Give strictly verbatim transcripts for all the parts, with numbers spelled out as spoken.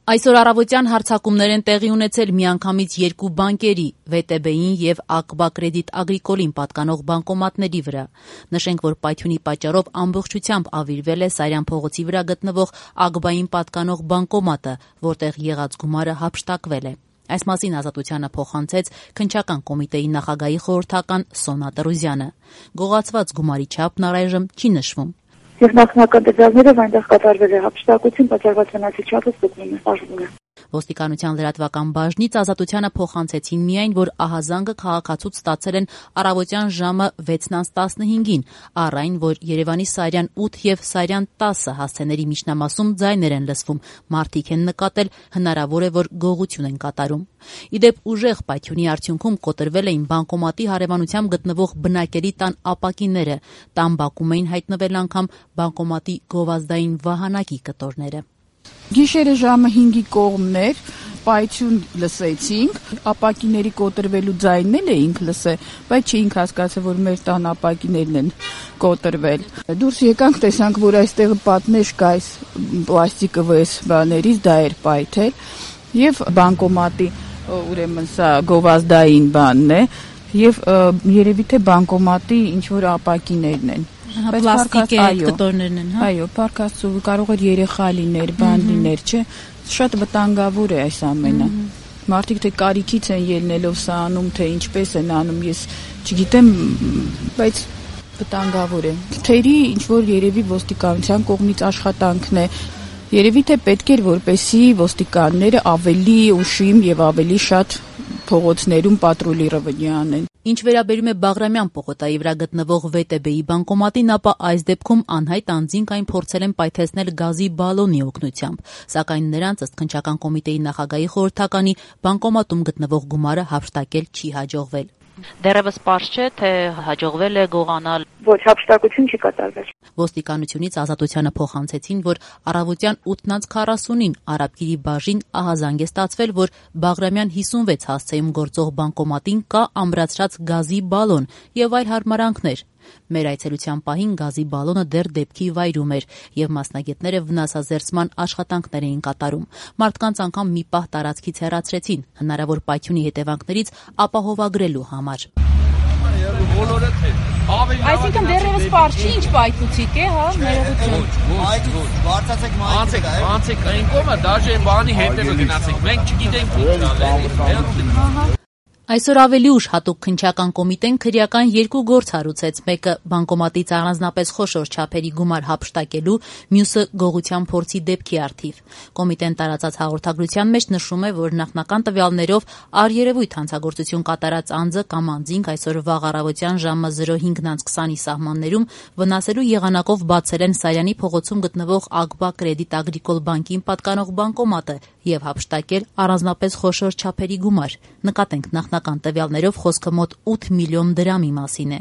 Այսօր առավոտյան հարձակումներ են տեղի ունեցել միանգամից երկու բանկերի՝ վե տե բեին և Ակբա Կրեդիտ Ագրիկոլին պատկանող բանկոմատների վրա։ Նշենք, որ պայթյունի պատճառով ամբողջությամբ ավիրվել է Սարյան փողոցի վրա գտնվող Ակբային պատկանող բանկոմատը, որտեղ եղած գումարը հափշտակվել է։ Այս մասին Ազատությանը փոխանցեց Քննչական կոմիտեի նախագահի խորհրդական Սոնա Տրուզյանը։ Գողացված գումարի չափն առայժմ չի նշվում։ Եվ նախնական տվյալներով այնտեղ կատարվել է հափշտակություն, պատճառված վնասի չափը ստուգվում է, պարզվում է։ Ոստիկանության լրատվական բաժնից Ազատությանը փոխանցեցին միայն, որ ահազանգը քաղաքացուց ստացել են առավոտյան ժամը վեցն տասնհինգին, առ այն, որ Երևանի Սարյան ութ և Սարյան տասը հասցեների միջնամասում ձայներ են լսվում, մարդիկ են նկատել, հնարավոր է, որ գողություն են կատարում։ Ի դեպ, ուժեղ պայթյունի արդյունքում կոտրվել էին բանկոմատի հարևանությամբ գտնվող բնակելի տան ապակիները, տան բակում էին հայտնվել անգամ բանկոմատի գովազդային վահանակի կտորները։ Գիշերը ժամը հինգի կողմներ պայթյուն լսեցինք, ապակիների կոտրվելու ձայնն էինք լսել, բայց չէինք հասկացել, որ մեր տան ապակիներն են կոտրվել։ Դուրս եկանք, տեսանք, որ այստեղ պատնեշ կա այս պլաստիկը վես բաներից, դա էր պայթել, եւ բանկոմատի ուրեմն սա գովազդային բանն է, եւ երևի թե բանկոմատի ինչ որ ապակիներն են։ Պլաստիկե կտորներն են, հա։ Այո, պարկասու կարող էր երեխա լիներ, բան լիներ, չէ։ Շատ վտանգավոր է այս ամենը։ Մարդիկ թե կարիքից են ելնելով սա անում, թե ինչպես են անում, ես չգիտեմ, բայց վտանգավոր է։ Թերի ինչ որ երևի ոստիկանության կողմից աշխատանքն է։ Երևի թե պետք էր, որպեսզի ոստիկանները ավելի ուշիմ եւ ավելի շատ փողոցներում պատրոլիրովание անեն։ Ինչ վերաբերում է Բաղրամյան պողոտայի վրա գտնվող վե տե բեի բանկոմատին, ապա այս դեպքում անհայտ անձինք այն փորձել են պայթեցնել գազի բալոնի օգնությամբ, սակայն նրանց ըստ Քննչական կոմիտեի նախագահի խորհրդականի բանկոմատում գտնվող գումարը հափշտակել չի հաջողվել։ Դեռևս պարզ չէ, թե հաջողվել է գողանալ։ Ոչ, հափշտակություն չի կատարվել։ Ոստիկանությունից Ազատությանը փոխանցեցին, որ առավոտյան ութ քառասունին Արաբկիրի բաժին ահազանգ է ստացվել, որ Բաղրամյան հիսունվեց հասցեում գործող բանկոմատին կա ամրացրած գազի բալոն եւ այլ հարմարանքներ։ Մեր այցելության պահին գազի բալոնը դեռ դեպքի վայրում էր եւ մասնագետները վնասազերծման աշխատանքներ էին կատարում։ Մարդկանց անգամ մի պահ տարածքից հեռացրեցին, հնարավոր պայթյունի հետևանքներից ապահովագրելու համար։ Այսինքն դեռևս պարզ չի, ինչ պայթուցիկ է, հա, ներողություն։ Այդ բարձացեք Անցեք, անցեք այն կողմը, դաժե բանի հետևը գնացեք։ Մենք չգիտենք ինչ ալել։ Այսօր ավելի ուշ հատուկ Քննչական կոմիտեն քրեական երկու գործ հարուցեց, մեկը բանկոմատից առանձնապես խոշոր չափերի գումար հափշտակելու, մյուսը գողության փորձի դեպքի առթիվ։ Կոմիտեն տարածած հաղորդագրության մեջ նշում է, որ նախնական տվյալներով առերևույթ հանցագործություն կատարած անձը կամ անձինք այսօր վաղ առավոտյան ժամը զրո հինգ քսանի սահմաններում վնասելու եղանակով բացել են Սարյանի փողոցում գտնվող Ակբա Կրեդիտ Ագրիկոլ բանկին պատկանող բանկոմատը եւ հափշտակել առանձնապես խոշոր չափերի գումար։ Նկատենք նախնական տվյալներով խոսքը մոտ ութ միլիոն դրամի մասին է։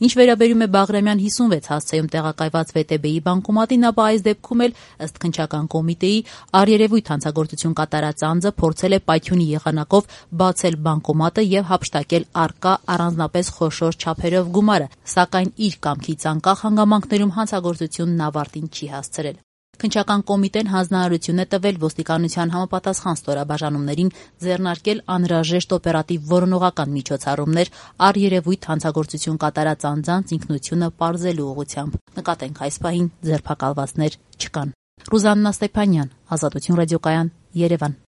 Ինչ վերաբերում է Բաղրամյան հիսունվեց հասցեում տեղակայված վե տե բեի բանկոմատին, ապա այս դեպքում էլ ըստ Քննչական կոմիտեի առերևույթ հանցագործություն կատարած անձը փորձել է պայթյունի եղանակով բացել բանկոմատը եւ հափշտակել առկա առանձնապես խոշոր չափերով գումարը, սակայն իր կամքից անկախ հանգամանքներում հանցագործությունն ավարտին չի հասցրել։ Քննչական կոմիտեն հանձնարարություն է տվել ոստիկանության համապատասխան ստորաբաժանումներին ձեռնարկել անհրաժեշտ օպերատիվ որոնողական միջոցառումներ առերևույթ հանցագործություն կատարած անձանց ինքնությունը պարզելու ուղղությամբ։ Նկատենք այս պահին ձերբակալվածներ չկան։ Ռուզաննա Ստեփանյան, Ազատություն ռադիոկայան, Երևան։